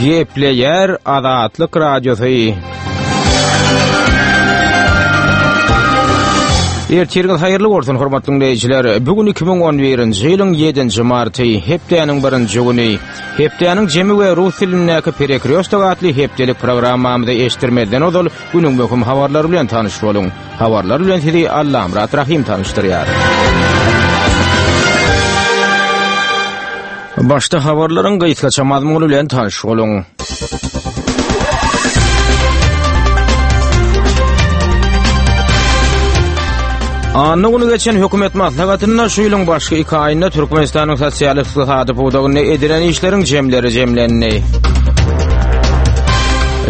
Gepleýär Azatlyk Radiosy. Ertiriňiz haýyrly bolsun, hormatly diňleýjiler. Bu gün 2011-nji ýylyň 7-nji marty, hepdäniň birinji güni. Hepdäniň jemi we rus dilindäki Perekrýostok atly hepdelik programmamyzy eşitdirmezden ozal günüň möhüm habarlary bilen tanyş boluň. Habarlar bilen sizi Allamyrat Rahym tanyşdyrýar. Başda habarlaryň gysgaça mazmuny bilen tanyş boluň. Anna güni geçen hökümet maslahatynda şu ýylyň başky iki aýynda Türkmenistanyň sosial-ykdysady pudagynda edilen işleriň jemleri jemlendi.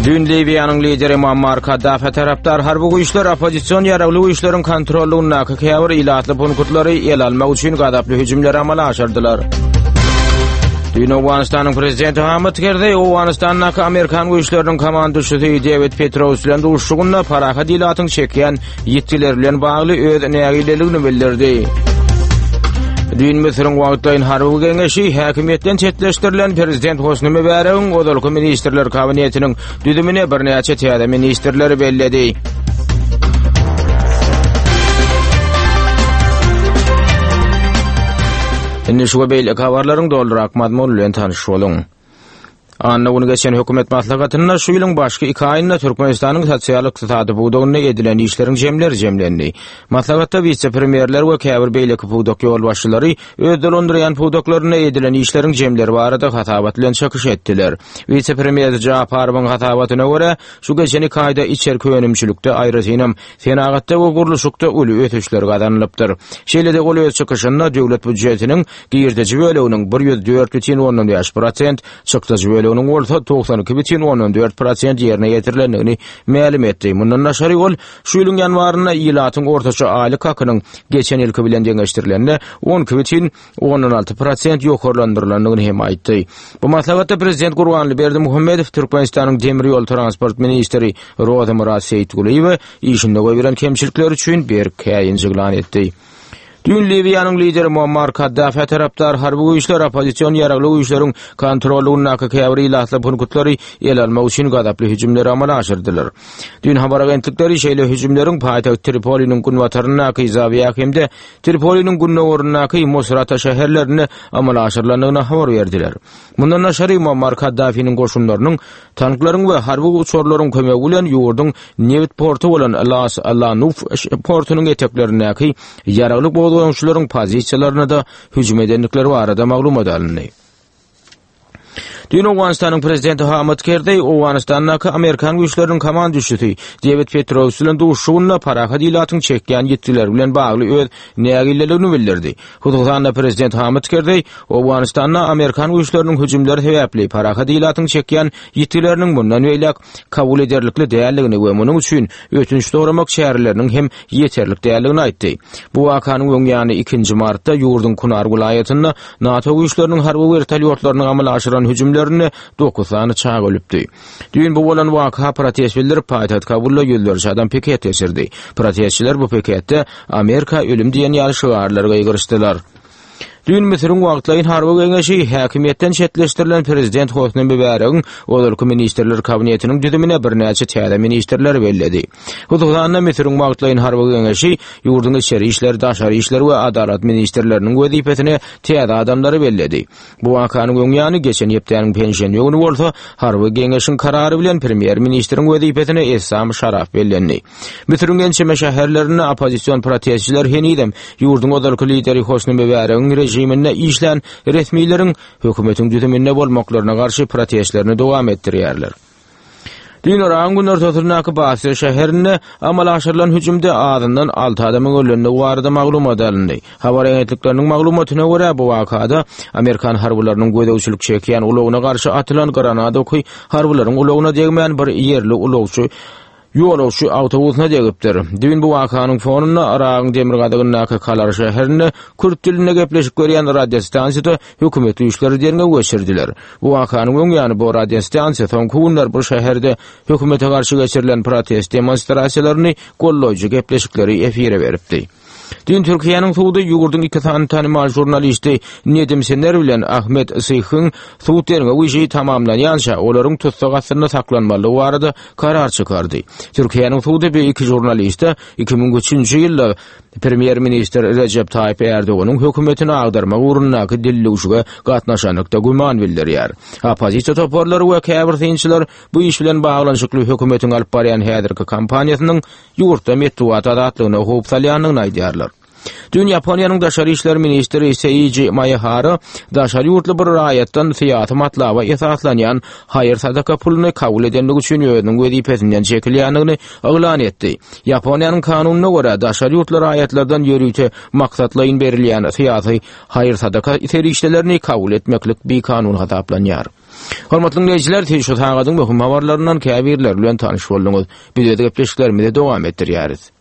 Düýn Liwiýanyň lideri Muammar Kaddafä tarapdar harby güýçler oppozision ýaragly güýçleriň kontrollygyndaky käbir ilatly punktlary ele almak üçin gazaply hüjümleri amala aşyrdylar. Düýn Owganystanyň prezidenti Hamid Kerzeý Owganystandaky amerikan güýçleriniň komanduşysy Dewid Petraeus bilen duşuşygynda parahat ilatyň çekýän ýitgileri bilen bagly öz nägileligini bildirdi. Düýn Müsüriň wagtlaýyn harby geňeşi häkimiýetden çetleşdirilen prezident Hosni Mübäregiň ozalky ministrler kabinetiniň düzümine birnäçe täze ministrleri belledi. Indi şu we beýleki habarlaryň dolurak mazmuny bilen tanyş boluň. Anna güni geçen hökümet maslahatynda şu ýylyň başky iki aýynda Türkmenistanyň sosial-ykdysady pudagynda edilen işleriň jemleri jemlendi. Maslahatda wise-premýerler we käbir beýleki pudak ýolbaşçylary öz dolandyrýan pudaklarynda edilen işleriň jemleri barada hasabat bilen çykyş etdiler. Wise-premýer Japarowyň hasabatyna görä, şu geçen iki aýda içerki önümçilikde, aýratynam, senagatda we gurluşykda uly ösüşler gazanylypdyr. Şeýle-de ol öz çykyşynda döwlet býujetiniň girdeji böleginiň 104,5 prosent, çykdajy böleginiň bolsa 92,4 prosent ýerine ýetirilendigini mälim etdi. Mundan daşary ol şu ýylyň ýanwarynda ilatyň ortaça aýlyk hakynyň geçen ýylky bilen deňeşdirilende 12,6 prosent ýokarlandyrylandygyny hem aýtdy. Bu maslahatda prezident Gurbanguly Berdimuhamedow Türkmenistanyň demir ýol transport ministri Rozamyrat Seýitgulyýewe işinde goýberen kemçilikleri üçin berk käýinç yglan etdi. Düýn Liwiýanyň lideri Muammar Kaddafä tarapdar harby güýçler oppozision ýaragly güýçleriň kontrollygyndaky käbir ilatly punktlary ele almak üçin gazaply hüjümleri amala aşyrdylar. Düýn habar agentlikleri şeýle hüjümleriň paýtagt Tripoliniň günbataryndaky Zawiýa hem-de Tripoliniň gündogaryndaky Musrata şäherlerinde amala aşyrylandygyny habar berdiler. Mundan daşary, Muammar Kaddafiniň goşunlarynyň tanklaryň we harby uçarlaryň kömegi bilen ýurduň nebit porty bolan Las Lanuf portunyň eteklerindäki ýaragly gozgalaňçylaryň pozisiýalaryna-da hüjüm edendikleri barada maglumat alyndy. Düýn Owganystanyň prezidenti Hamid Kerzeý Owganystandaky amerikan güýçleriniň komanduşysy Dewid Petraeus bilen duşuşygynda parahat ilatyň çekýän ýitgileri bilen bagly öz nägileligini bildirdi. Hususan-da, prezident Hamid Kerzeý Owganystanda amerikan güýçleriniň hüjümleri sebäpli parahat ilatyň çekýän ýitgileriniň mundan beýläk kabul ederlikli däldigini we munuň üçin ötünç soramak çäreleriniň hem ýeterlik däldigini aýtdy. Bu wakanyň öň ýany ikinji martda ýurduň Kunar welaýatynda NATO güýçleriniň harby wertolýotlarynyň amala aşyran hüjümlerinde dokuz sany çaga ölüpdi. Düýn bu bolan waka protest bildirip, paýtagt Kabulda ýüzlerçe adam piket geçirdi. Protestçiler bu piketde Amerika ölüm diýen ýaly şygarlary gygyryşdylar. Düýn Müsüriň wagtlaýyn harby geňeşi häkimiýetden çetleşdirilen prezident Hosni Mübäregiň ozalky ministrler kabinetiniň düzümine birnäçe täze ministrleri belledi. Hususan-da, Müsüriň wagtlaýyn harby geňeşi ýurduň içeri işler, daşary işler we adalat ministrleriniň wezipesine täze adamlary belledi. Bu wakanyň öň ýany, geçen hepdäniň penşenbe güni bolsa, harby geňeşiň karary bilen premýer-ministriň wezipesine Essam Şaraf bellendi. Müsüriň ençeme şäherlerinde oppozision protestçiler henizem ýurduň ozalky lideri Hosni Mübäregiň režiminde işlän resmileriň hökümetiň düzüminde bolmaklaryna garşy protestlerini dowam etdirýärler. Düýn Yragyň günortasyndaky Basra şäherinde amala aşyrylan hüjümde azyndan alty adamyň ölendigi barada maglumat alyndy. Habar agentlikleriniň maglumatyna görä, bu wakada amerikan harbylarynyň gözegçilik çekýän ulagyna garşy atylan granat oky harbylaryň ulagyna degmän bir ýerli ulagçy ýolagçy awtobusyna degipdir. Düýn bu wakanyň fonunda Yragyň demirgazygyndaky Kalar şäherinde kürt dilinde gepleşik berýän radiostansiýada hökümet güýçleri derňew geçirdiler. Bu wakanyň öň ýany bu radiostansiýa soňky günler bu şäherde hökümete garşy geçirilen protest demonstrasiýalaryny goldaýjy gepleşikleri efire beripdi. Düýn Türkiýäniň sudy ýurduň iki sany tanymal žurnalisti Nedim Sener bilen Ahmet Syhyň sud derňew işi tamamlanýança olaryň tussag astynda saklanmalydygy barada karar çykardy. Türkiýäniň sudy bu iki žurnaliste 2003-nji ýylda Premýer-ministr Rejep Taýyp Ärdoganyň hökümetini agdarmak ugrundaky dildüwşüge gatnaşanlykda güman bildirýär. Oppozisiýa toparlary we käbir synçylar bu iş bilen baglanyşykly hökümetiň alyp barýan häzirki kampaniýasynyň ýurtda metbugat azatlygyna howp salýandygyny aýdýarlar. Düýn Ýaponiýanyň daşary işler ministri Seiji Maehara daşary ýurtly bir raýatdan syýasy matlaba esaslanýan haýyr-sadaka puluny kabul edendigi üçin özüniň wezipesinden çekilýändigini yglan etdi. Ýaponiýanyň kanunyna görä, daşary ýurtly raýatlardan ýörite maksatlaýyn berilýän syýasy haýyr-sadaka serişdelerini kabul etmeklik bikanun hasaplanýar. Hormatly diňleýjiler, siz şu sagadyň möhüm habarlaryndan käbirleri bilen tanyş bolduňyz. Biz öz gepleşiklerimizi dowam etdirýäris.